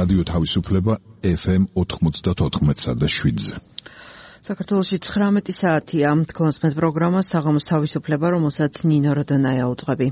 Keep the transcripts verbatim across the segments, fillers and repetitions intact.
რადიო თავისუფლება ეფ ემ ოთხმოცდაოთხ და შვიდზე. საქართველოში ცხრამეტი საათია. თქვენს მე პროგრამა საღამოს თავისუფლება, რომელსაც ნინო როდონაია უძღვები.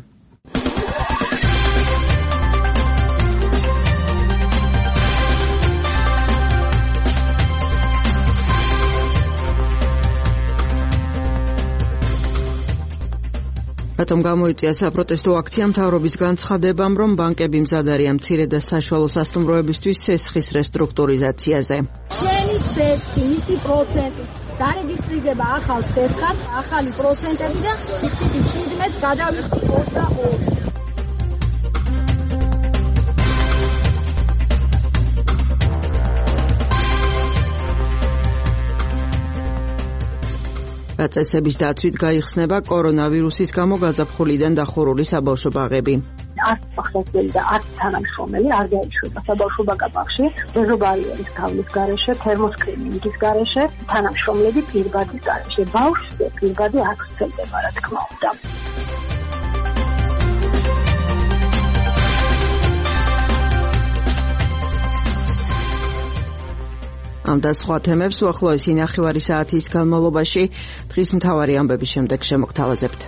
რატომ გამოიწვია საპროტესტო აქცია მთავრობის განცხადებამ, რომ ბანკები მზად არიან მცირე და საშუალო სასტუმროებისთვის სესხის რესტრუქტურიზაციაზე. ჩვენი სესხი, მისი პროცენტი დარეგისტრირდება ახალ სესხად, ახალი პროცენტები და ისეთი შვიდმეტს გადავიხდი ოცდაოთხს. წესების დაცვით გაიხსნება კორონავირუსის გამო გაზაფხულიდან დახურული საბავშვო ბაღები. არც სახსრელი და არც თანამშრომელი არ გაიშვება საბავშვო ბაღებში, დეზობარიერის გავლის გარეშე, თერმოსკრინინგის გარეშე, თანამშრომლები პირბადის გარეშე. ბავშვზე პირბადი არ ვრცელდება, რა თქმა უნდა. ამ და სხვა თემებს უახლოესი ნახევარი საათის განმავლობაში დღის მთავარი ამბების შემდეგ შემოგთავაზებთ.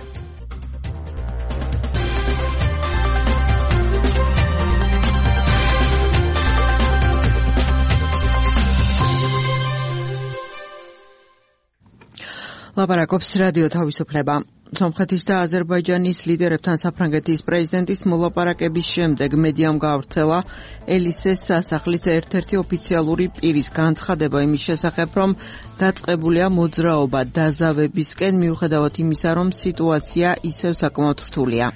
ლაპარაკობს რადიო თავისუფლება. სომხეთის და აზერბაიჯანის ლიდერებთან საფრანგეთის პრეზიდენტის მოლაპარაკების შემდეგ მედიამ გაავრცელა ელისეს სასახლის ერთ-ერთი ოფიციალური პირის განცხადება იმის შესახებ, რომ დაწყებულია მოძრაობა დაზავებისკენ, მიუხედავად იმისა, რომ სიტუაცია ისევ საკმაოდ რთულია.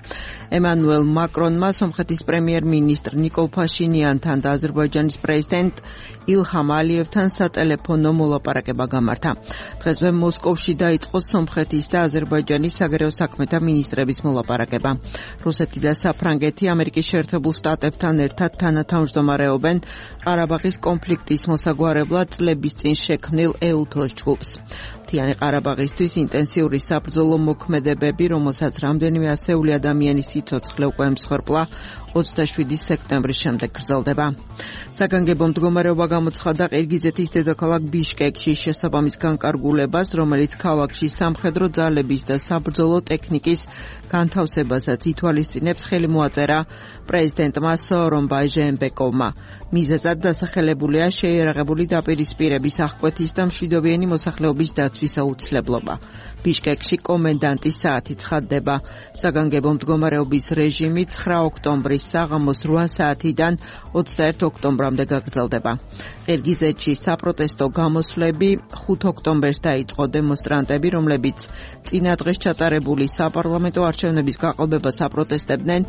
ემანუელ მაკრონმა სომხეთის პრემიერ-მინისტრ ნიკოლ ფაშინიანთან და აზერბაიჯანის პრეზიდენტ ილჰამ ალიევთან სატელეფონო მოლაპარაკება გამართა. დღესვე მოსკოვში დაიწყო სომხეთის და აზერბაიჯანის საგარეო საქმეთა მინისტრების მოლაპარაკება. რუსეთი და საფრანგეთი ამერიკის შეერთებულ შტატებთან ერთად თანათავმჯდომარეობენ ყარაბაღის კონფლიქტის მოსაგვარებლად წლების წინ შექმნილ ეუთოს ჯგუფს. მთიანი ყარაბაღისთვის ინტენსიური საბრძოლო მოქმედებები, რომელსაც რამდენიმე ასეული ადამიანის სიცოცხლე უკვე ემსხვერპლა, ოცდაშვიდი სექტემბრის შემდეგ გრძელდება. საგანგებო მდგომარეობა გამოცხადდა ყირგიზეთის დედაქალაქ ბიშკეკში შესაბამის განკარგულებას, რომელიც ქალაქში სამხედრო ძალების და საბრძოლო ტექნიკის განთავსებასაც ითვალისწინებს, ხელი მოაწერა პრეზიდენტმა სოორონბაი ჟეენბეკოვმა. მიზეზად დასახელებულია შეიარაღებული დაპირისპირების აღკვეთის და მშვიდობიანი მოსახლეობის დაცვის აუცილებლობა. ბიშკეკში კომენდანტის საათი ცხადდება. საგანგებო მდგომარეობის რეჟიმი ცხრა ოქტომბრის საღამოს რვა საათიდან ოცდაერთი ოქტომბრამდე გაგრძელდება. ყირგიზეთში საპროტესტო გამოსვლები ხუთ ოქტომბერს დაიწყო. დემონსტრანტები, რომლებიც წინა დღეს ჩატარებული საპარლამენტო არჩევნების გაყალბებას აპროტესტებდნენ,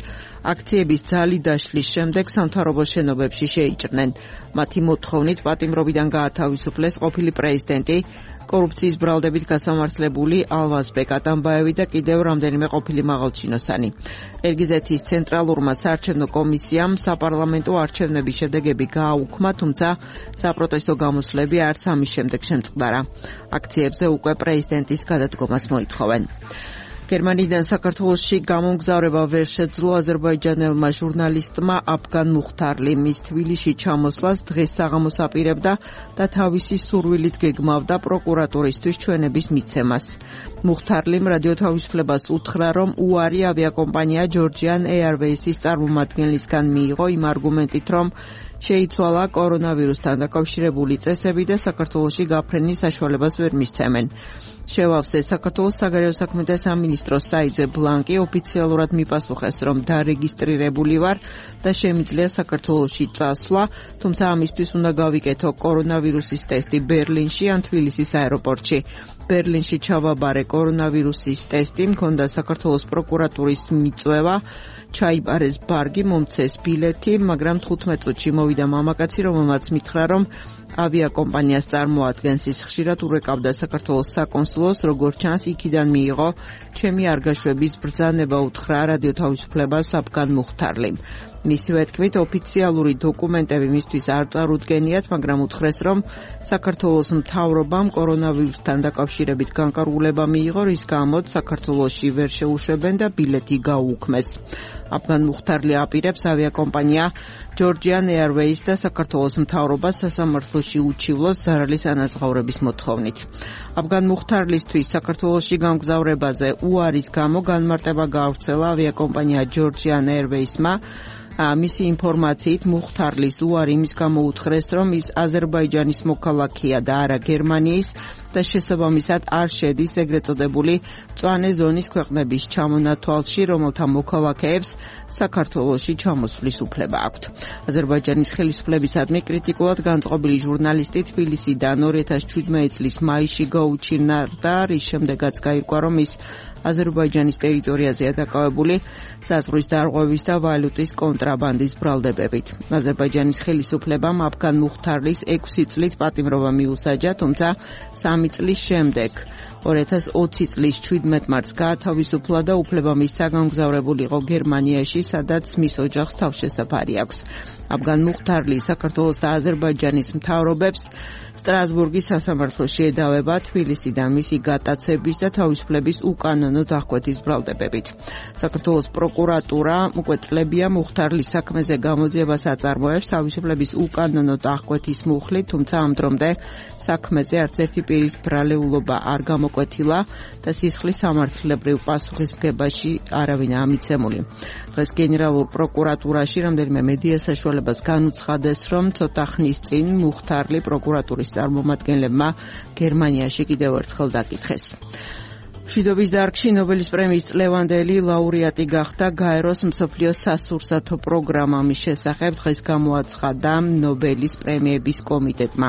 აქციების ძალი დაშლის შემდეგ სამთავრობო შენობებში შეიჭრნენ. მათი მოთხოვნით პატიმრობიდან გაათავისუფლეს ყოფილი პრეზიდენტი, კორუფციის ბრალდებით გასამართლებული ალვაზბეკ ატამბაევი და კიდევ რამდენიმე ყოფილი მაღალჩინოსანი. ყირგიზეთის ცენტრალურმა საარჩევნო კომისიამ საპარლამენტო არჩევნების შედეგები გააუქმა, თუმცა საპროტესტო გამოსვლები არც ამის შემდეგ შემწყდარა. აქციებზე უკვე პრეზიდენტის გადადგომას მოითხოვენ. გერმანიიდან საქართველოში გამომგზავრება ვერ შეძლო აზერბაიჯანელმა ჟურნალისტმა აფგან მუხთარლიმ. მის თბილისში ჩამოსვლას დღეს საღამოს აპირებდა და თავისი სურვილით გეგმავდა პროკურატურისთვის ჩვენების მიცემას. მუხთარლიმ რადიო თავისუფლებას უთხრა, რომ უარი ავიაკომპანია ჯორჯიან ეარვეისის წარმომადგენლისგან მიიღო იმ არგუმენტით, რომ შეიცვალა კორონავირუსთან დაკავშირებული წესები და საქართველოში გაფრენის საშუალებას ვერ მისცემენ. შევავსე საქართველოს საგარეო საქმეთა სამინისტროს საიძე ბლანკი ოფიციალურად მიპასუხეს, რომ დარეგისტრირებული ვარ და შემიძლია საქართველოში წასვლა, თუმცა ამისთვის უნდა გავიკეთო კორონავირუსის ტესტი ბერლინში ან თბილისის აეროპორტში. ბერლინში ჩავაბარე კორონავირუსის ტესტი, მქონდა საქართველოს პროკურატურის მიწვევა, ჩაიბარეს ბარგი, მომცეს ბილეთი, მაგრამ თხუთმეტ წუთში მოვიდა მამაკაცი, რომელმაც მითხრა, რომ ავიაკომპანიას წარმოადგენს. ის ხშირად ურეკავდა საქართველოს საკონსულოს, როგორც ჩანს, იქიდან მიიღო ჩემი არ გაშვების ბრძანება, უთხრა რადიო თავისუფლებას აფგან მუხთარლიმ. მისივე თქმით, ოფიციალური დოკუმენტები მისთვის არ წარუდგენიათ, მაგრამ უთხრეს, რომ საქართველოს მთავრობამ კორონავირუსთან დაკავშირებით განკარგულება მიიღო, რის გამოც საქართველოში ვერ შეუშვებენ და ბილეთი გაუქმეს. აფგან მუხთარლი აპირებს ავიაკომპანია Georgian Airways და საქართველოს მთავრობას სასამართლოში უჩივლოს ზარალის ანაზღაურების მოთხოვნით. აფგან მუხთარლისთვის საქართველოში გამგზავრებაზე უარის გამო განმარტება გაავრცელა ავიაკომპანია Georgian Airways-მა. მისი ინფორმაციით მუხთარლის უარი იმის გამო უთხრეს, რომ ის აზერბაიჯანის მოქალაქეა და არა გერმანიის და შესაბამისად არ შედის ეგრეთ წოდებული მწვანე ზონის ქვეყნების ჩამონათვალში, რომელთა მოქალაქეებს საქართველოში ჩამოსვლის უფლება აქვთ. აზერბაიჯანის ხელისუფლებისადმი კრიტიკულად განწყობილი ჟურნალისტი თბილისიდან ორი ათას შვიდმეტი წლის მაისში გაუჩინარდა, რის შემდეგაც გაირკვა, რომ ის აზერბაიჯანის ტერიტორიაზეა დაკავებული საზღვრის დარღვევის და ვალუტის კონტრაბანდის ბრალდებებით. აზერბაიჯანის ხელისუფლებამ აფგან მუხთარლის ექვსი წლით პატიმრობა მიუსაჯა, თუმცა სამი წლის შემდეგ ორი ათას ოცი წლის შვიდმეტი მარტს გაათავისუფლა და უფლება მისცა გამგზავრებულიყო გერმანიაში, სადაც მის ოჯახს თავშესაფარი აქვს. აფგან მუხთარლი საქართველოს და აზერბაიჯანის მთავრობებს სტრასბურგის სასამართლოში ედავება თბილისიდან მისი გატაცების და თავისუფლების უკანონო დახკვეთის ბრალდებებით. საქართველოს პროკურატურა უკვე წლებია მუხთარლის საქმეზე გამოძიებას აწარმოებს თავისუფლების უკანონო დახკვეთის მუხლით, თუმცა ამ დრომდე საქმეზე არც ერთი პირის ბრალეულობა არ გამოკვეთილა და სისხლის სამართლებრივ პასუხისმგებაში არავინაა მიცემული. დღეს გენერალურ პროკურატურაში რამდენიმე მედია საშუალებას განუცხადეს, რომ ცოტა ხნის წინ მუხთარლი პროკურატურის წარმომადგენლებმა გერმანიაში კიდევ ერთხელ დაკითხეს. მშვიდობის დარგში ნობელის პრემიის წლევანდელი ლაურეატი გახდა გაეროს მსოფლიო სასურსათო პროგრამა. მის შესახებ დღეს გამოაცხადა ნობელის პრემიების კომიტეტმა.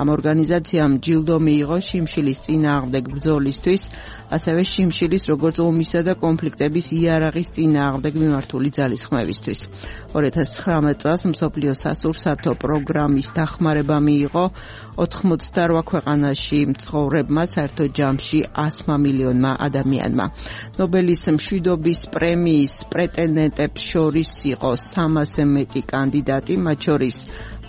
ამ ორგანიზაციამ ჯილდო მიიღო შიმშილის წინააღმდეგ ბრძოლისთვის, ასევე შიმშილის როგორც ომისა და კონფლიქტების იარაღის წინააღმდეგ მიმართული ძალისხმევისთვის. ორი ათას ცხრამეტ წელს მსოფლიო სასურსათო პროგრამის დახმარება მიიღო ოთხმოცდაორ ქვეყანაში მცხოვრებმა, საერთო ჯამში ასმა მილიონმა ადამიანმა. ნობელის მშვიდობის პრემიის პრეტენდენტებს შორის იყო სამასზე მეტი კანდიდატი, მათ შორის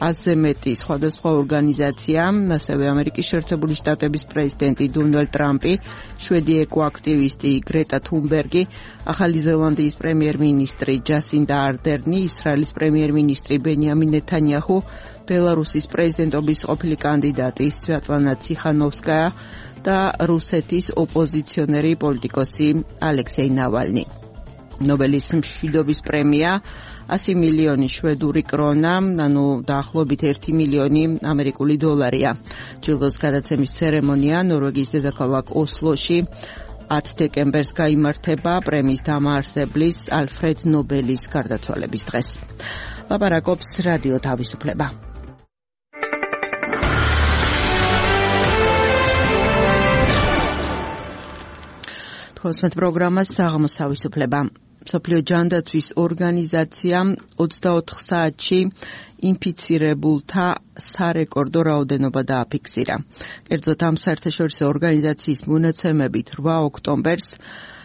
ათზე მეტი სხვადასხვა ორგანიზაცია, ასევე ამერიკის შეერთებული შტატების პრეზიდენტი დონალდ ტრამპი, შვედი ეკოაქტივისტი გრეტა თუნბერგი, ახალი ზელანდიის პრემიერ-მინისტრი ჯასინდა არდერნი, ისრაელის პრემიერ-მინისტრი ბენიამინ ნეთანიაჰუ, ბელარუსის პრეზიდენტობის ყოფილი კანდიდატი სვიატლანა ციხანოვსკაია და რუსეთის ოპოზიციონერი პოლიტიკოსი ალექსეი ნავალნი. ნობელის მშვიდობის პრემია ასი მილიონი შვედური კრონა, ანუ დაახლოებით ერთი მილიონი ამერიკული დოლარია. ჯილდოს გადაცემის ცერემონია ნორვეგიის დედაქალაქ ოსლოში ათი დეკემბერს გაიმართება პრემიის დამაარსებლის ალფრედ ნობელის გარდაცვალების დღეს. ლაპარაკობს რადიო თავისუფლება. თქოსმეთ პროგრამას საღამოს თავისუფლება. მსოფლიო ჯანდაცვის ორგანიზაცია ოცდაოთხ საათში ინფიცირებულთა სარეკორდო რაოდენობა დააფიქსირა. კერძოდ ამ საერთაშორისო ორგანიზაციის მონაცემებით რვა ოქტომბერს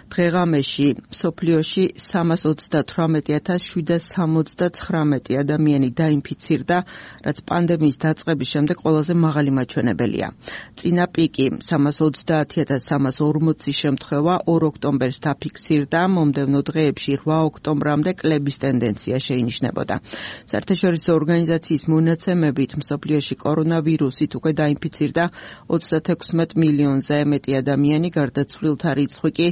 დღეღამეში მსოფლიოში სამას ოცდათვრამეტი ათას შვიდსათ სამოცდათხრამეტი ადამიანი დაინფიცირდა, რაც პანდემიის დაწყების შემდეგ ყველაზე მაღალი მაჩვენებელია. წინა პიკი სამას ოცდაათი ათას სამას ორმოცი შემთხვევა ორ ოქტომბერს დაფიქსირდა, მომდევნო დღეებში რვა ოქტომბრამდე კლების ტენდენცია შეინიშნებოდა. საერთაშორისო ორგანიზაციის მონაცემებით მსოფლიოში კორონავირუსით უკვე დაინფიცირდა ოცდათექვსმეტ მილიონზე მეტი ადამიანი, გარდაცვლილთა რიცხვი კი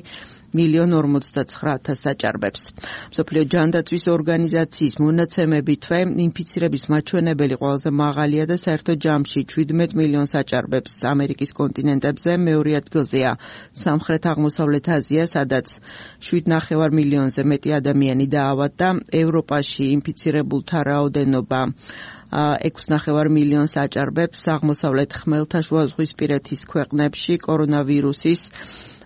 მილიონ ორმოცდაცხრა ათასს აჭარბებს. მსოფლიო ჯანდაცვის ორგანიზაციის მონაცემებითვე ინფიცირების მაჩვენებელი ყველაზე მაღალია და საერთო ჯამში შვიდმეტ მილიონს აჭარბებს. ამერიკის კონტინენტებზე მეორე ადგილზეა სამხრეთ-აღმოსავლეთ აზია, სადაც შვიდ ნახევარ მილიონზე მეტი ადამიანი დაავადდა. ევროპაში ინფიცირებულთა რაოდენობა ექვს ნახევარ მილიონს აჭარბებს. აღმოსავლეთ ხმელთაშუაზღვისპირეთის ქვეყნებში კორონავირუსის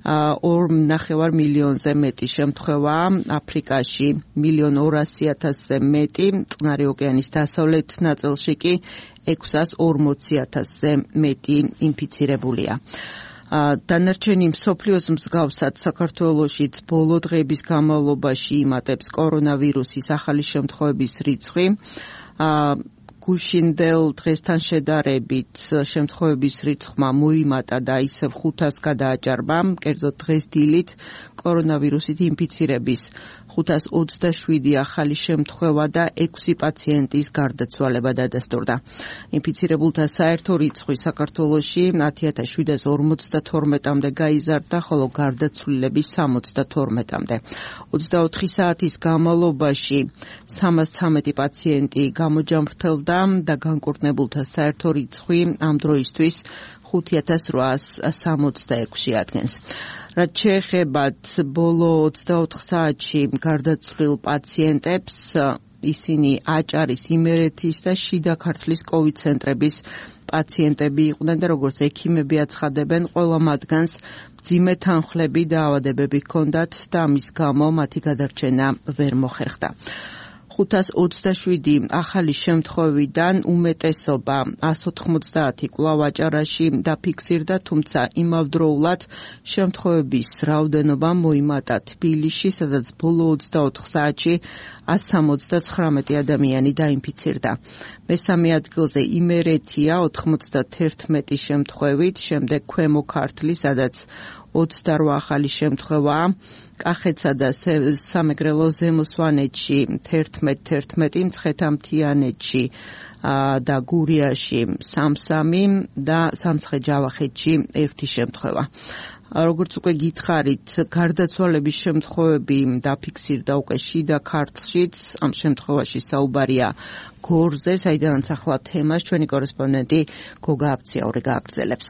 ორ ნახევარ მილიონზე მეტი შემთხვევაა, აფრიკაში მილიონ ორასი ათასზე მეტი, წყნარი ოკეანის დასავლეთ ნაწილში კი ექვსას ორმოცი ათასზე მეტი ინფიცირებულია. დანარჩენი მსოფლიოს მსგავსად საქართველოშიც ბოლო დღეების განმავლობაში იმატებს კორონავირუსის ახალი შემთხვევების რიცხვი. გუშინდელ დღესთან შედარებით შემთხვევების რიცხვმა მოიმატა და ისევ ხუთას გადააჭარბა, კერძოდ დღეს დილით კორონავირუსით ინფიცირების ხუთას ოცდაშვიდი ახალი შემთხვევა და ექვსი პაციენტის გარდაცვალება დადასტურდა. ინფიცირებულთა საერთო რიცხვი საქართველოში ათი ათას შვიდას ორმოცდათორმეტამდე გაიზარდა, ხოლო გარდაცვლილების სამოცდათორმეტამდე. ოცდაოთხი საათის განმავლობაში სამას ცამეტი პაციენტი გამოჯამრთელდა და განკურნებულთა საერთო რიცხვი ამ დროისთვის ხუთი ათას რვაას სამოცდაექვსი ადგენს. რაც შეეხებათ ბოლო ოცდაოთხ საათში გარდაცვლილ პაციენტებს, ისინი აჭარის, იმერეთის და შიდა ქართლის კოვიდ ცენტრების პაციენტები იყვნენ და როგორც ექიმები აცხადებენ, ყველა მათგანს მძიმე თანხლები და ავადებები ჰქონდათ და ამის გამო მათი გადარჩენა ვერ მოხერხდა. ხუთას ოცდაშვიდი ახალი შემთხვევიდან უმეტესობა ას ოთხმოცდაათი კვლავ აჭარაში დაფიქსირდა, თუმცა იმავდროულად შემთხვევების რაოდენობა მოიმატა თბილისში, სადაც ბოლო ოცდაოთხ საათში ას სამოცდაცხრამეტი ადამიანი დაინფიცირდა. მესამე ადგილზე იმერეთია ოთხმოცდაერთმეტი შემთხვევით, შემდეგ ქვემო ქართლი, სადაც ოცდარვა ახალი შემთხვევაა. კახეთსა და სამეგრელო ზემო სვანეთში თერთმეტ თერთმეტი, მცხეთა-მთიანეთში და გურიაში სამსამი და სამცხე-ჯავახეთში ერთი შემთხვევა. როგორც უკვე გითხარით, გარდაცვალების შემთხვევები დაფიქსირდა უკვე შიდა ქართლშიც. ამ შემთხვევაში საუბარია გორზე, საიდანაც ახლა თემას ჩვენი კორესპონდენტი გოგა აბციაური გააგრძელებს.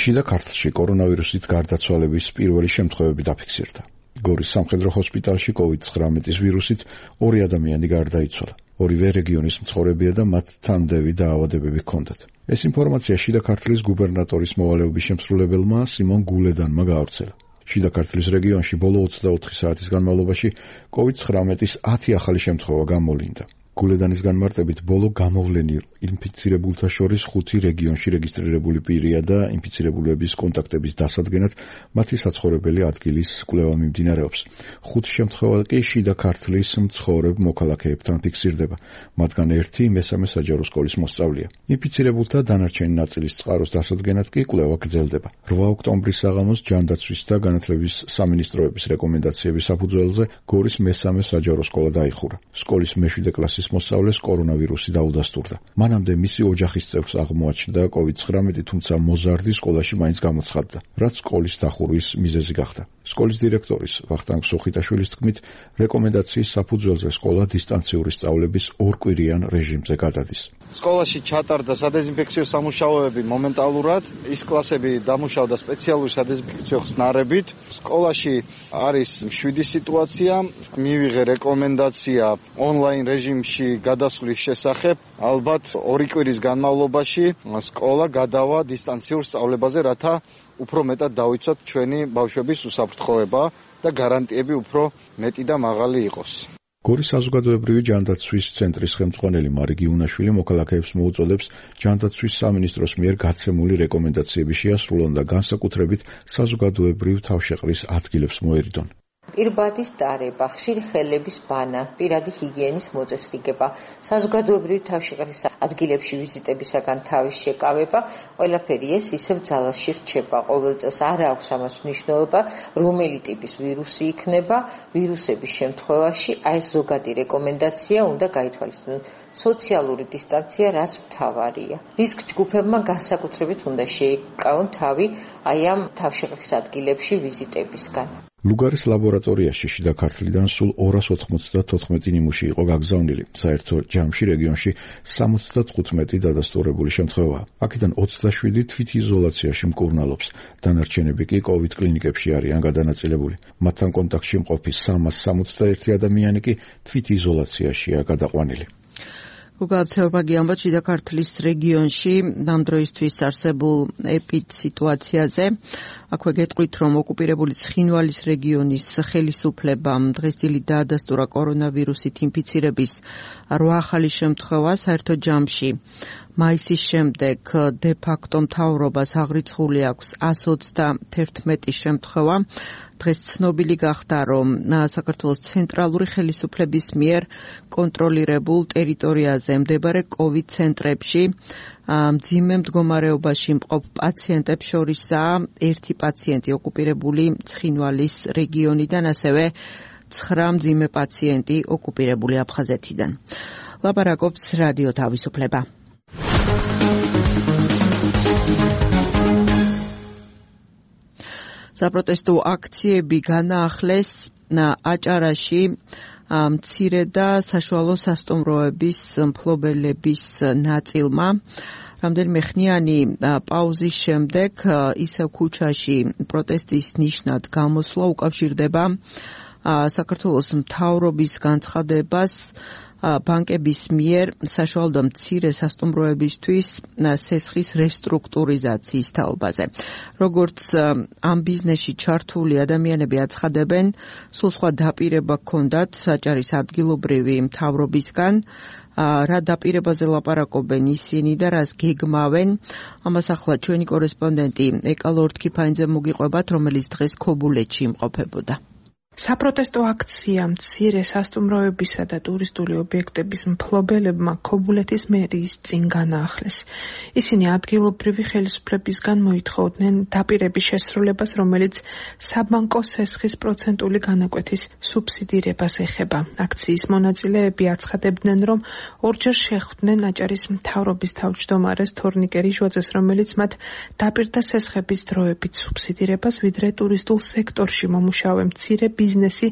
შიდა ქართლში კორონავირუსით გარდაცვალების პირველი შემთხვევები დაფიქსირდა. გორის სამხედრო ჰოსპიტალში კოვიდ ცხრამეტის ვირუსით ორი ადამიანი გარდაიცვალა. ორივე რეგიონის მცხოვრებია და მათ თანდევი დაავადებები ჰქონდათ. ეს ინფორმაცია შიდა ქართლის გუბერნატორის მოვალეობის შემსრულებელმა სიმონ გულედანმა გაავრცელა. შიდა ქართლის რეგიონში ბოლო ოცდაოთხი საათის განმავლობაში კოვიდ ცხრამეტის ათი ახალი შემთხვევა გამოვლინდა. გულედანის განმარტებით ბოლო გამოვლენილ ინფიცირებულთა შორის ხუთი რეგიონში რეგისტრირებული პირია და ინფიცირებულების კონტაქტების დასადგენად მათი საცხოვრებელი ადგილის კვლევა მიმდინარეობს. ხუთ შემთხვევა კი შიდა ქართლის მცხოვრებ მოქალაქეებთან ფიქსირდება, მათგან ერთი მესამე საჯარო სკოლის მოსწავლეა. ინფიცირებულთა დანარჩენი ნაწილის წყაროს დასადგენად კი კვლევა გრძელდება. რვა ოქტომბრის საღამოს ჯანდაცვის და განათლების სამინისტროების რეკომენდაციების საფუძველზე გორის მესამე საჯარო სკოლა დაიხურა. სკოლის მეშვიდე კლასის მოსწავლეს კორონავირუსი დაუდასტურდა. მანამდე მისი ოჯახის წევრს აღმოაჩნდა კოვიდ ცხრამეტი, თუმცა მოზარდი სკოლაში მაინც გამოცხადდა, რაც სკოლის დახურვის მიზეზი გახდა. სკოლის დირექტორის ვახტანგ სუხიტაშვილის თქმით, რეკომენდაციის საფუძველზე სკოლა დისტანციური სწავლების ორკვირიან რეჟიმზე გადადის. სკოლაში ჩატარდა სადეზინფექციო სამუშაოები მომენტალურად, ის კლასები დამუშავდა სპეციალური სადეზინფექციო ხსნარებით. სკოლაში არის მშვიდი სიტუაცია, მივიღე რეკომენდაცია ონლაინ რეჟიმში გადასვლის შესახებ. ალბათ ორი კვირის განმავლობაში სკოლა გადავა დისტანციურ სწავლებაზე, რათა უფრო მეტად დავიცვათ ჩვენი ბავშვების უსაფრთხოება და გარანტიები უფრო მეტი და მაღალი იყოს. გორის საზოგადოებრივი ჯანდაცვის ცენტრის ხელმძღვანელი მარიგი უნაშვილი მოქალაქეებს მოუწოდებს ჯანდაცვის სამინისტროს მიერ გაცემული რეკომენდაციების შეასრულონ და განსაკუთრებით საზოგადოებრივ თავშეყრის ადგილებს მოერიდონ. პირბადის დარება, ხშირი ხელების ბანა, პირადი ჰიგიენის მოწესრიგება, საზოგადოებრივი თავშეყრის ადგილებში ვიზიტებისაგან თავის შეკავება, ყველაფერი ეს ისევ ძალაში რჩება. ყოველ წელს არ აქვს ამას მნიშვნელობა, რომელი ტიპის ვირუსი იქნება, ვირუსების შემთხვევაში აი ეს ზოგადი რეკომენდაცია უნდა გაითვალისწინონ. სოციალური დისტანცია რაც მთავარია. რისკ ჯგუფებმა განსაკუთრებით უნდა შეიკავონ თავი აი ამ თავშეყრის ადგილებში ვიზიტებისგან. ლუგარის ლაბორატორიაში შიდა ქართლიდან სულ ორას ოთხმოცდათოთხმეტი ნიმუში იყო გაგზავნილი. საერთო ჯამში რეგიონში სამოცდათხუთმეტი დადასტურებული შემთხვევაა. აქედან ოცდაშვიდი თვითიზოლაციაში მკურნალობს. დანარჩენები კი კოვიდ კლინიკებში არიან გადანაწილებული. მათთან კონტაქტში მყოფი სამას სამოცდაერთი ადამიანი კი თვითიზოლაციაშია გადაყვანილი. გოგაბცეურმა გიამბოთ შიდა ქართლის რეგიონში ამ დროისთვის არსებულ ეპიდსიტუაციაზე. აქვე გეტყვით, რომ ოკუპირებული ცხინვალის რეგიონის ხელისუფლებამ დღესდღეობით დაადასტურა კორონავირუსით ინფიცირების რვა ახალი შემთხვევა. საერთო ჯამში მაისის შემდეგ დე ფაქტო მთავრობას აღრიცხული აქვს εκατს ოცდაათი შემთხვევა. დღეს ცნობილი გახდა, რომ საქართველოს ცენტრალური ხელისუფლების მიერ კონტროლირებულ ტერიტორიაზე მდებარე კოვიდ ცენტრებში მძიმე მდგომარეობაში მყოფ პაციენტებს შორისაა ერთი პაციენტი ოკუპირებული ცხინვალის რეგიონიდან, ასევე ცხრა მძიმე პაციენტი ოკუპირებული აფხაზეთიდან. ლაპარაკობს რადიო თავისუფლება. საპროტესტო აქციები განაახლეს აჭარაში მცირე და საშუალო სასტუმროების მფლობელების ნაწილმა. რამდენიმე ხნიანი პაუზის შემდეგ ისევ ქუჩაში პროტესტის ნიშნად გამოსვლა უკავშირდება საქართველოს მთავრობის განცხადებას ბანკების მიერ საშუალო და მცირე სასტუმროებისთვის სესხის რესტრუქტურიზაციის თაობაზე. როგორც ამ ბიზნესში ჩართული ადამიანები აცხადებენ, სულ სხვა დაპირება ჰქონდათ საჭარის ადგილობრივი მთავრობისგან, რა დაპირებაზე ლაპარაკობენ ისინი და რას გეგმავენ. ამას ახლა ჩვენი კორესპონდენტი ეკა ლორთქიფანიძე მოგიყვებათ, რომელიც დღეს ქობულეთში იმყოფებოდა. საპროტესტო აქცია მცირე სასტუმროებისა და ტურისტული ობიექტების მფლობელებმა ქობულეთის მერიის წინ განაახლეს. ისინი ადგილობრივი ხელისუფლებისგან მოითხოვდნენ დაპირების შესრულებას, რომელიც საბანკო სესხის პროცენტული განაკვეთის სუბსიდირებას ეხება. აქციის მონაწილეები აცხადებდნენ, რომ ორჯერ შეხვდნენ აჭარის მთავრობის თავმჯდომარეს თორნიკე რიჟვაძეს, რომელიც მათ დაპირდა სესხების დროებით სუბსიდირებას, ვიდრე ტურისტულ სექტორში მომუშავე მცირე ბიზნესი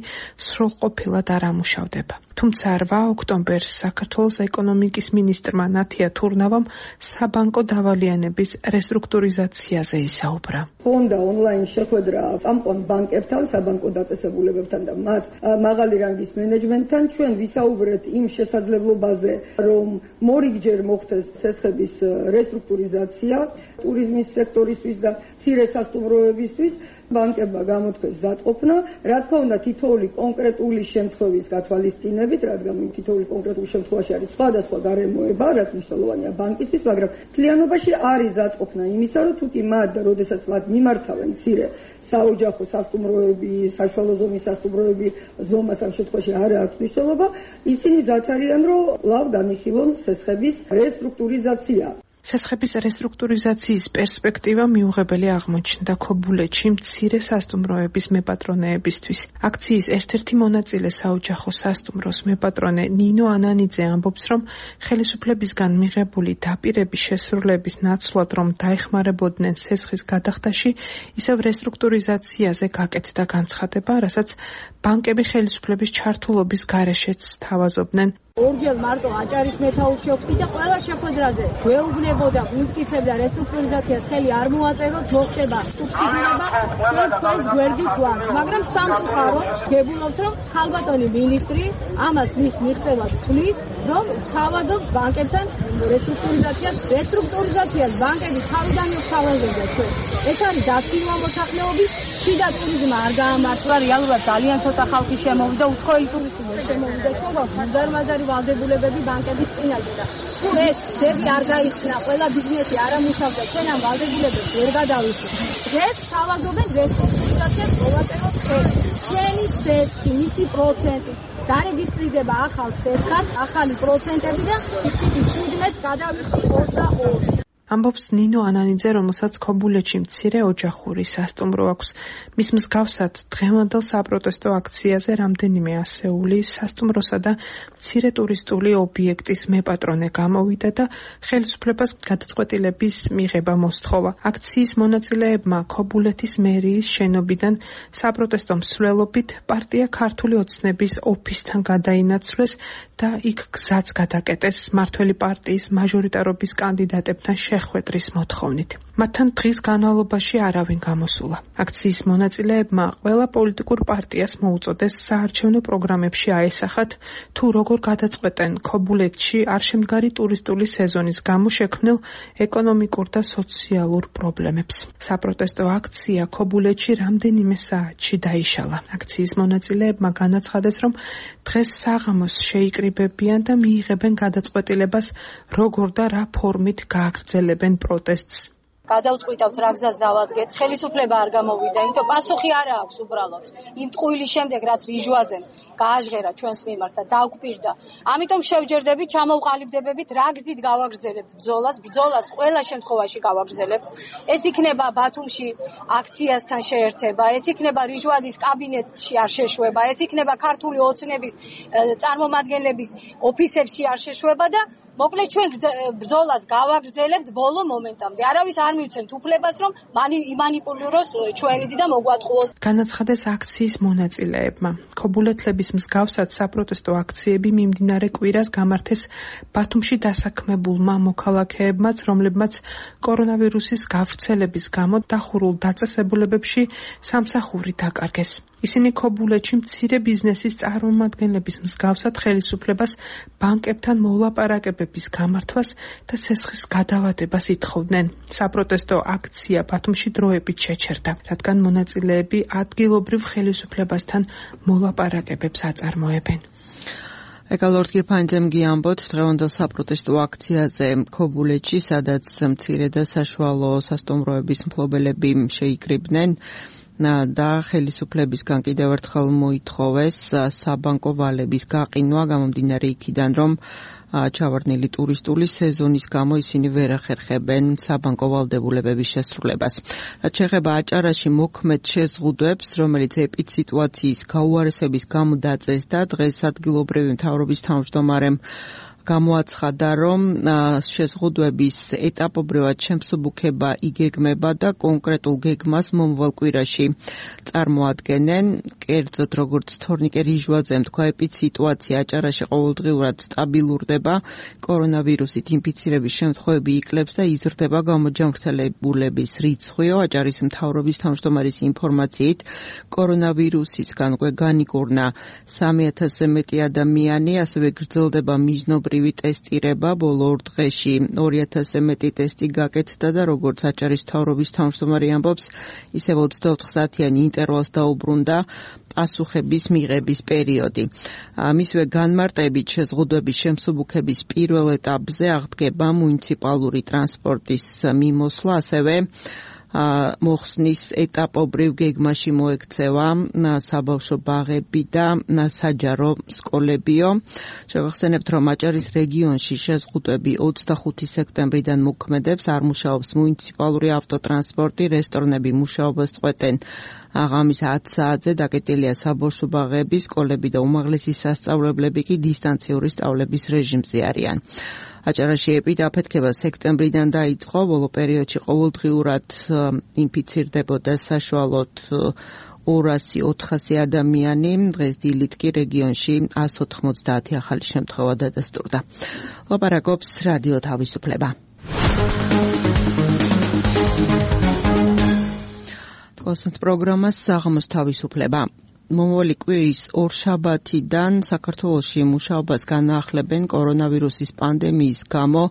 სრულყოფილად არ ამუშავდება. თუმცა რვა ოქტომბერს საქართველოს ეკონომიკის მინისტრმა ნათია თურნავამ საბანკო დავალიანების რესტრუქტურიზაციაზე ისაუბრა. ჰქონდა ონლაინ შეხვედრა წამყვან ბანკებთან, საბანკო დაწესებულებებთან და მათ მაღალი რანგის მენეჯმენტთან. ჩვენ ვისაუბრეთ იმ შესაძლებლობაზე, რომ მორიგჯერ მოხდეს სესხების რესტრუქტურიზაცია ტურიზმის სექტორისთვის და მცირე სასტუმროებისთვის. ბანკებმა გამოთქვეს ზადყოფნა, რა თქმა უნდა თითოეული კონკრეტული შემთხვევის გათვალისწინებით, რადგან თითოეული კონკრეტული შემთხვევაში არის სხვადასხვა გარემოება, რაც მნიშვნელოვანია ბანკისთვის, მაგრამ მთლიანობაში არის ზადყოფნა იმისა, რომ თუკი მათ და როდესაც მათ მიმართავენ მცირე საოჯახო სასტუმროები, საშუალო ზომის სასტუმროები, ზომას ამ შემთხვევაში არ აქვს მნიშვნელობა, ისინი ზაც არიან, რომ ლავ განიხილონ სესხების რესტრუქტურიზაცია. სესხების რესტრუქტურიზაციის პერსპექტივა მიუღებელი აღმოჩნდა ქობულეთში მცირე სასტუმროების მეპატრონეებისთვის. აქციის ერთ-ერთი მონაწილე საოჯახო სასტუმროს მეპატრონე ნინო ანანიძე ამბობს, რომ ხელისუფლებისგან მიღებული დაპირების შესრულების ნაცვლად, რომ დაეხმარებოდნენ სესხის გადახდაში, ისევ რესტრუქტურიზაციაზე გაკეთდა განცხადება, რასაც ბანკები ხელისუფლების ჩართულობის გარეშეც სთავაზობდნენ. ორჯერ მარტო აჭარის მეთაურს შევხვდი და ყველა შეხვედრაზე გვეუბნებოდა, გვიმტკიცებდა რესტრუქტურიზაციას ხელი არ მოაწეროთ, მოხდება სუბსიდირება, ჩვენ თქვენს გვერდით ვართ. მაგრამ სამწუხაროდ გებულობთ, რომ ხალბატონი მინისტრი ამას მის მიღწევად თვლის, რომ თავაზობს ბანკებთან რესტრუქტურიზაციას, რესტრუქტურიზაციას ბანკები თავიდან მოგთავაზებდა ჩვენ. ეს არის დაცინვა მოსახლეობის, შიდა ტურიზმი არ გაამართლა, რეალურად ძალიან ცოტა ხალხი შემოვიდა, უცხოელი ტურისტები შემოვიდა, თუმცა მუდარმაზარი ვალდებულებები ბანკების წინაშე და თუ ეს ძები არ გაიხსნა, ყველა ბიზნესი არ ამუშავდა, ჩვენ ამ ვალდებულებებს ვერ გადავიხსნით. დღეს თავაზობენ რესტრუქტურიზაციას მოვაწეროთ ხელი. ჩვენი სესხი, მისი პროცენტი დარეგისტრირდება ახალ სესხად, ახალი პროცენტები და ისეთი შვიდმეტს გადავიხსნით ოცდაორს. ამბობს ნინო ანანიძე, რომელსაც ქობულეთში მცირე ოჯახური სასტუმრო აქვს. მის მსგავსად დღევანდელ საპროტესტო აქციაზე რამდენიმე ასეული სასტუმროსა და მცირე ტურისტული ობიექტის მეპატრონე გამოვიდა და ხელისუფლებას გადაწყვეტილების მიღება მოსთხოვა. აქციის მონაწილეებმა ქობულეთის მერიის შენობიდან საპროტესტო მსვლელობით პარტია ქართული ოცნების ოფისთან გადაინაცვლეს და იქ გზაც გადაკეტეს მმართველი პარტიის მაჟორიტარობის კანდიდატებთან შეხვედრის მოთხოვნით. მათთან დღის განმავლობაში არავინ გამოსულა. აქციის მონაწილეებმა ყველა პოლიტიკურ პარტიას მოუწოდეს საარჩევნო პროგრამებში აესახათ, თუ როგორ გადაწყვეტენ ქობულეთში არშემდგარი ტურისტული სეზონის გამო შექმნილ ეკონომიკურ და სოციალურ პრობლემებს. საპროტესტო აქცია ქობულეთში რამდენიმე საათში დაიშალა. აქციის მონაწილეებმა განაცხადეს, რომ დღეს საღამოს შეიკრიბებიან და მიიღებენ გადაწყვეტილებას, როგორ და რა ფორმით გააგრძელებენ პროტესტს. გადავწყვიტავთ რა გზას დავადგეთ, ხელისუფლება არ გამოვიდა, იმიტომ პასუხი არ აქვს უბრალოდ. იმ ტყუილის შემდეგ რაც რიჟვაძემ გააჟღერა ჩვენს მიმართ და დაგვპირდა. ამიტომ შევჯერდებით, ჩამოვყალიბდებებით, რა გზით გავაგრძელებთ ბრძოლას, ბრძოლას ყველა შემთხვევაში გავაგრძელებთ. ეს იქნება ბათუმში აქციასთან შეერთება, ეს იქნება რიჟვაძის კაბინეტში არ შეშვება, ეს იქნება ქართული ოცნების წარმომადგენლების ოფისებში არ შეშვება და მოკლედ ჩვენ ბრძოლას გავაგრძელებთ ბოლო მომენტამდე. არავის არ მივცემთ უფლებას, რომ იმანიპულიროს ჩვენიდი და მოგვატყუოს. განაცხადეს აქციის მონაწილეებმა. ქობულეთლების მსგავსად საპროტესტო აქციები მიმდინარე კვირას გამართეს ბათუმში დასაქმებულმა მოქალაქეებმაც, რომლებმაც კორონავირუსის გავრცელების გამო დახურულ დაწესებულებებში სამსახური დაკარგეს. ისინი ქობულეთში მცირე ბიზნესის წარმომადგენლების მსგავსად ხელისუფლებას ბანკებთან მოლაპარაკებების გამართვას და სესხის გადავადებას ითხოვდნენ. საპროტესტო აქცია ბათუმში დროებით შეჩერდა, რადგან მონაწილეები ადგილობრივ ხელისუფლებასთან მოლაპარაკებებს აწარმოებენ. ეკალორდ გიფანძემ გიამბოთ დღევანდელ საპროტესტო აქციაზე ქობულეთში, სადაც მცირე და საშუალო სასტუმროების მფლობელები შეიკრიბნენ და ხელისუფლებისგან კიდევ ერთხელ მოითხოვეს საბანკო ვალების გაყინვა გამომდინარე იქიდან, რომ ჩავარდნილი ტურისტული სეზონის გამო ისინი ვერ ახერხებენ საბანკო ვალდებულებების შესრულებას. რაც შეეხება აჭარაში მოქმედ შეზღუდვებს, რომელიც ეპიდსიტუაციის გაუარესების გამო დაწესდა, დღეს ადგილობრივი მთავრობის თავმჯდომარემ გამოაცხადა, რომ შეზღუდვების ეტაპობრივად შემსუბუქება იგეგმება და კონკრეტულ გეგმას მომავალ კვირაში წარმოადგენენ. კერძოდ, როგორც თორნიკე რიჟვაძემ თქვა, ეპიდსიტუაცია აჭარაში ყოველდღიურად სტაბილურდება, კორონავირუსით ინფიცირების შემთხვევები იკლებს და იზრდება გამოჯანმრთელებულების რიცხვიო. აჭარის მთავრობის თავმჯდომარის ინფორმაციით, კორონავირუსისგან უკვე განიკურნა სამი ათასზე მეტი ადამიანი, ასევე გრძელდება მიზნობრივი ტესტირება. ბოლო ორ დღეში ორი ათასზე მეტი ტესტი გაკეთდა და როგორც აჭარის მთავრობის თავმჯდომარე ამბობს, ისევ ოცდაოთხ საათიანი ინტერვალს დაუბრუნდა პასუხების მიღების პერიოდი. მისივე განმარტებით შეზღუდვების შემსუბუქების პირველ ეტაპზე აღდგება მუნიციპალური ტრანსპორტის მიმოსვლა, ასევე მოხსნის ეტაპობრივ გეგმაში მოექცევა საბავშვო ბაღები და საჯარო სკოლებიო. შევახსენებთ, რომ აჭარის რეგიონში შეზღუდვები ოცდახუთი სექტემბრიდან მოქმედებს, არ მუშაობს მუნიციპალური ავტოტრანსპორტი, რესტორნები მუშაობას წყვეტენ აღამის ათ საათზე, დაკეტილია საბავშვო ბაღები, სკოლები და უმაღლესი სასწავლებლები კი დისტანციური სწავლების რეჟიმზე არიან. აჭარაში ეპიდაფეთქება სექტემბრიდან დაიწყო, ბოლო პერიოდში ყოველდღიურად ინფიცირდებოდა საშუალოდ ორასი ოთხასი ადამიანი, დღეს დილით კი რეგიონში ას ოთხმოცდაათი ახალი შემთხვევა დადასტურდა. ლაპარაკობს რადიო თავისუფლება. თქოსნთ პროგრამას საღამოს თავისუფლება. მომავალი კვირის ორშაბათიდან საქართველოში მუშაობას განაახლებენ კორონავირუსის პანდემიის გამო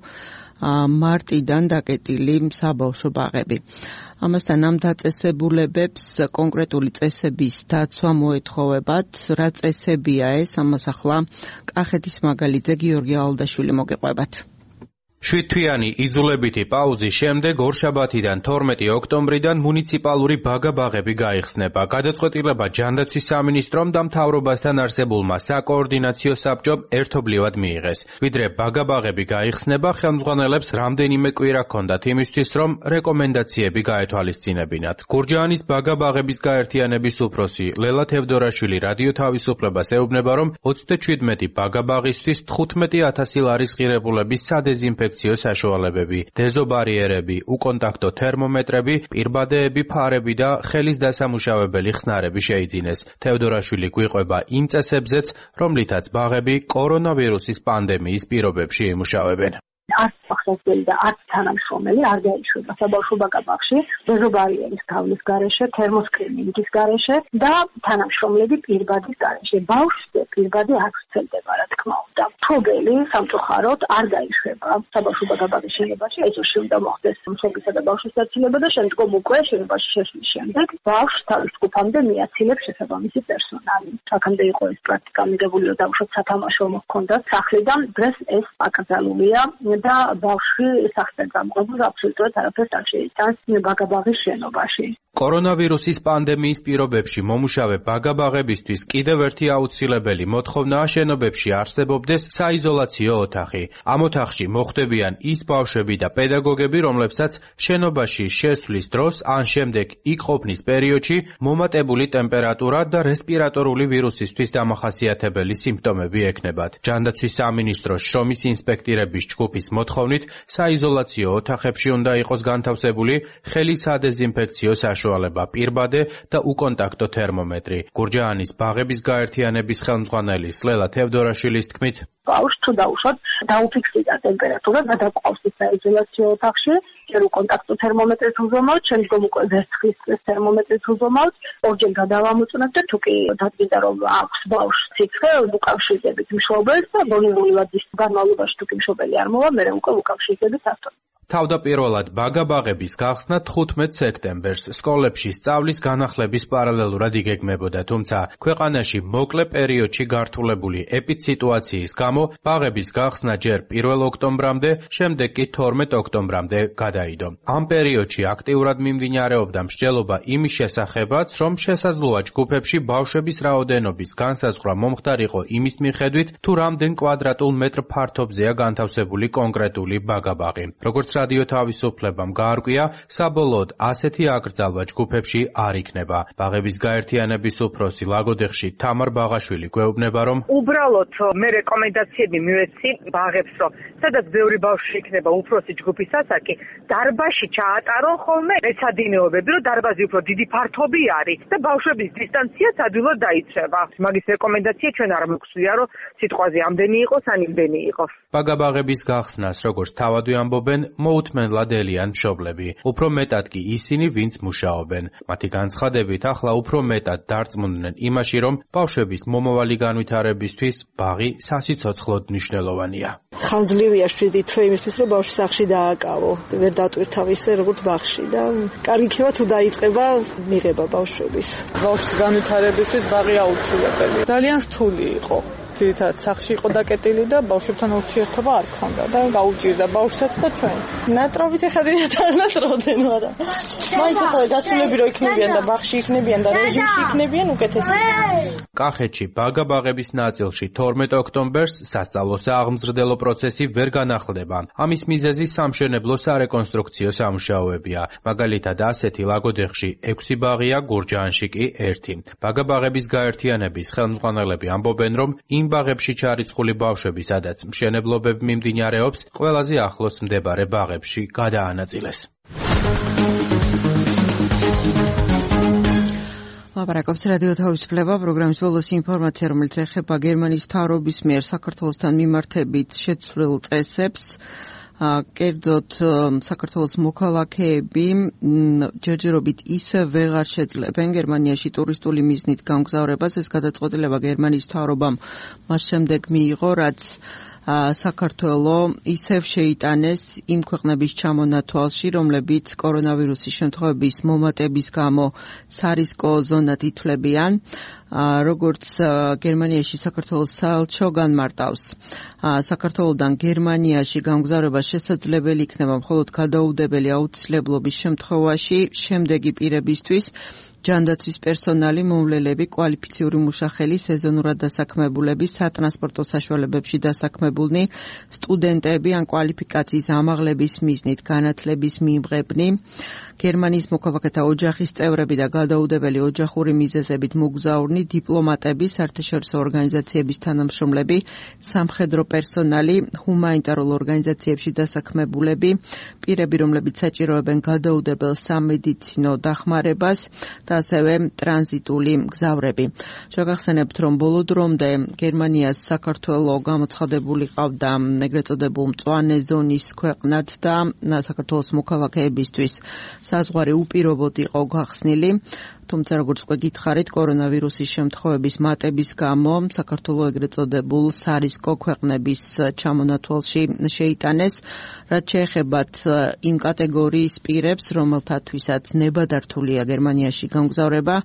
მარტიდან დაკეტილი საბავშვო ბაღები. ამასთან ამ დაწესებულებებს კონკრეტული წესების დაცვა მოეთხოვებათ. რა წესებია ეს? ამას ახლა კახეთის მაგალითზე გიორგი ალდაშვილი მოგეყვებათ. შვიდთვიანი იძულებითი პაუზის შემდეგ ორშაბათიდან თორმეტი ოქტომბრიდან მუნიციპალური ბაგა-ბაღები გაიხსნება. გადაწყვეტილება ჯანდაცვის სამინისტრომ და მთავრობასთან არსებულმა საკოორდინაციო საბჭომ ერთობლივად მიიღეს. ვიდრე ბაგა-ბაღები გაიხსნება, ხელმძღვანელებს რამდენიმე კვირა ჰქონდათ იმისთვის, რომ რეკომენდაციები გაეთვალისწინებინათ. გურჯაანის ბაგა-ბაღების გაერთიანების უფროსი ლელა თევდორაშვილი რადიო თავისუფლებას ეუბნება, რომ ოცდაჩვიდმეტი ბაგა-ბაღისთვის თხუთმეტი ათასი ლარის ღირებულების სადეზინფექციო საშუალებები, დეზობარიერები, უკონტაქტო თერმომეტრები, პირბადეები, ფარები და ხელის დასამუშავებელი ხსნარები შეიძინეს. თევდორაშვილი გვიყვება იმ წესებზეც, რომლითაც ბაღები კორონავირუსის პანდემიის პირობებში იმუშავებენ. არც სახსასწრელი და არც თანამშრომელი არ დაიშვება საბავშვო ბაგა-ბაღში, დეზობარიერის გავლის გარეშე, თერმოსკრინინგის გარეშე და თანამშრომლები პირბადის გარეშე. ბავშვზე პირბადი არ ვრცელდება, რა თქმა უნდა. მფლობელი სამწუხაროდ არ დაიშვება საბავშვო ბაგა-ბაღის შენობაში, ეს უშევ უნდა მოხდეს მშობლისა და ბავშვის დაცილება და შემდგომ უკვე შენობაში შესვლის შემდეგ ბავშვს თავის ჯგუფამდე მიაცილებს შესაბამისი პერსონალი. აქამდე იყო ეს პრაქტიკა მიღებული, რომ დაუშვათ სათამაშო მოჰქონდათ სახლიდან, დღეს ეს აკრძალულია და ბავშვი სახლიდან გამყრობილ აბსოლუტურად არაფერს არ შეიტანს ბაგა-ბაღის შენობაში. კორონავირუსის პანდემიის პირობებში მომუშავე ბაგა-ბაღებისთვის კიდევ ერთი აუცილებელი მოთხოვნაა შენობებში არსებობდეს საიზოლაციო ოთახი. ამ ოთახში მოხვდებიან ის ბავშვები და პედაგოგები, რომლებსაც შენობაში შესვლის დროს ან შემდეგ იქ ყოფნის პერიოდში მომატებული ტემპერატურა და რესპირატორული ვირუსისთვის დამახასიათებელი სიმპტომები ექნებათ. ჯანდაცვის სამინისტროს შრომის ინსპექტირების ჯგუფის მოთხოვნით საიზოლაციო ოთახებში უნდა იყოს განთავსებული ხელი სადეზინფექციო საშუალება, პირბადე და უკონტაქტო თერმომეტრი. გურჯაანის ბაღების გაერთიანების ხელმძღვანელი სლელა თევდორაშვილის თქმით, ბავშვს თუ დაუშვათ დაუფიქსირდა ტემპერატურა და დაკავს საიზოლაციო ოთახში, ჯერ უკონტაქტო თერმომეტრით უზომავთ, შემდგომ უკვე ვერცხლის თერმომეტრით უზომავთ, ორჯერ გადავამოწმოთ და თუ კი დადგინდა რომ აქვს ბავშვს სიცხე, უკავშირდებით მშობელს და ბოლნიური ვადის განმავლობაში თუ კი მშობელი არ მოვა, მერე უკვე უკავშირდებით ავტორს. თავდაპირველად ბაგა-ბაღების გახსნა თხუთმეტ სექტემბერს სკოლებში სწავლის განახლების პარალელურად იგეგმებოდა, თუმცა ქვეყანაში მოკლე პერიოდში გართულებული ეპიდსიტუაციის გამო ბაღების გახსნა ჯერ პირველ ოქტომბრამდე, შემდეგ კი თორმეტ ოქტომბრამდე გადაიდო. ამ პერიოდში აქტიურად მიმდინარეობდა მსჯელობა იმის შესახებაც, რომ შესაძლოა ჯგუფებში ბავშვების რაოდენობის განსაზღვრა მომხდარიყო იმის მიხედვით, თუ რამდენ კვადრატულ მეტრ ფართობზეა განთავსებული კონკრეტული ბაგა-ბაღი. როგორც რადიო თავისუფლებამ გაარკვია, საბოლოოდ ასეთი აკრძალვა ჯგუფებში არ იქნება. ბაღების გაერთიანების უფროსი ლაგოდეხში თამარ ბაღაშვილი გვეუბნება, რომ უბრალოდ მე რეკომენდაციები მივეცი ბაღებს, რომ სადაც ბევრი ბავშვი იქნება უფროსი ჯგუფის ასაკი, დარბაზში ჩაატარონ ხოლმე ეცადინეობები, რომ დარბაზი უფრო დიდი ფართობი არის და ბავშვების დისტანციაც ადვილად დაიცება. მაგის რეკომენდაცია ჩვენ არ მოგწვია, რომ სიტყვაზე ამდენი იყოს, ან იმდენი იყოს. ბაგა-ბაღების გახსნას, როგორც თავადვე ამბობენ, მოუთმენლად ელიან მშობლები. უფრო მეტად კი ისინი, ვინც მუშაობენ. მათი განცხადებით, ახლა უფრო მეტად დარწმუნდნენ იმაში, რომ ბავშვების მომავალი განვითარებისთვის ბაღი სასიცოცხლოდ მნიშვნელოვანია. ხანძლივია შვიდი თვე იმისთვის, რომ ბავშვი სახლში დააკავო, ვერ დატვირთავ ისე როგორც ბაღში და კარგი იქნება თუ დაიწყება მიღება ბავშვების. ბავშვის განვითარებისთვის ბაღი აუცილებელი. ძალიან რთული იყო. ძირითადად სახლში იყო დაკეტილი და ბავშვებთან ურთიერთობა არ ქონდა და გაუჭირდა ბავშვსაც და ჩვენს. ნატრობით ეხადიათ არ ნატრობდნენ, მაგრამ მაინც ახლა გასულები რო იქნებიან და ბაღში იქნებიან და რეჟიმში იქნებიან უკეთესია. კახეთში ბაგა-ბაღების ნაწილში თორმეტ ოქტომბერს სასწავლო სააღმზრდელო პროცესი ვერ განახლდება. ამის მიზეზი სამშენებლო სარეკონსტრუქციო სამუშაოებია. მაგალითად ასეთი ლაგოდეხში ექვსი ბაღია, გურჯაანში კი ერთი. ბაგა-ბაღების გაერთიანების ხელმძღვანელები ამბობენ, რომ იმ ბაღებში ჩარიცხული ბავშვები, სადაც მშენებლობები მიმდინარეობს, ყველაზე ახლოს მდებარე ბაღებში გადაანაწილეს. ლაპარაკობს რადიო თავისუფლება, პროგრამის ბოლოს ინფორმაცია, რომელიც ეხება გერმანიის მთავრობის მიერ საქართველოსთან მიმართებით შეცვლილ წესებს. კერძოდ საქართველოს მოქალაქეები ჯერჯერობით ისე ვეღარ შეძლებენ გერმანიაში ტურისტული მიზნით გამგზავრებას. ეს გადაწყვეტილება გერმანიის მთავრობამ მას შემდეგ მიიღო, რაც საქართველო ისევ შეიტანეს იმ ქვეყნების ჩამონათვალში, რომლებიც კორონავირუსის შემთხვევების მომატების გამო სარისკო ზონად ითვლებიან. როგორც გერმანიაში საქართველოს საელჩო განმარტავს, საქართველოდან გერმანიაში გამგზავრება შესაძლებელი იქნება მხოლოდ გადაუდებელი აუცილებლობის შემთხვევაში, შემდეგი პირებისთვის ჯანდაცვის პერსონალი, მოვლელები, კვალიფიციური მუშახელი, სეზონურად დასაქმებულები, სატრანსპორტო საშუალებებში დასაქმებულნი, სტუდენტები ან კვალიფიკაციის ამაღლების მიზნით განათლების მიმღებნი, გერმანიის მოქალაქეთა ოჯახის წევრები და გადაუდებელი ოჯახური მიზეზებით მოგზაურნი, დიპლომატები, საერთაშორისო ორგანიზაციების თანამშრომლები, სამხედრო პერსონალი, ჰუმანიტარულ ორგანიზაციებში დასაქმებულები, პირები, რომლებიც საჭიროებენ გადაუდებელ სამედიცინო დახმარებას და ასევე ტრანზიტული მგზავრები. შეგახსენებთ, რომ ბოლო დრომდე გერმანიას საქართველო გამოცხადებული ყავდა ეგრეთ წოდებულ მწვანე ზონის ქვეყნად და საქართველოს მოქალაქეებისთვის საზღვარი უპირობოდ იყო გახსნილი. თუმცა როგორც უკვე გითხარით, კორონავირუსის შემთხვევების მატების გამო საქართველო ეგრეთ წოდებულ სარისკო ქვეყნების ჩამონათვალში შეიტანეს, რაც შეეხებათ იმ კატეგორიის პირებს, რომელთათვისაც ნებადართულია გერმანიაში გამგზავრება,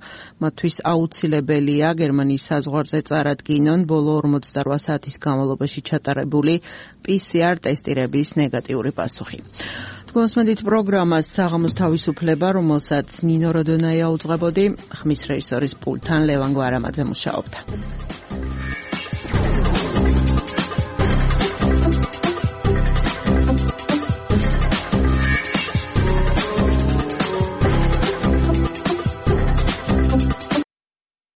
მათთვის აუცილებელია გერმანიის საზღვარზე წარადგინონ ბოლო ორმოცდარვა საათის განმავლობაში ჩატარებული პი სი არ ტესტირების ნეგატიური პასუხი. გოსმენდით პროგრამას საღამოს თავისუფლება, რომელსაც ნინო როდონაია უძღვებოდი, ხმის რეჟისორის პულტთან ლევან გვარამაძე მუშაობდა.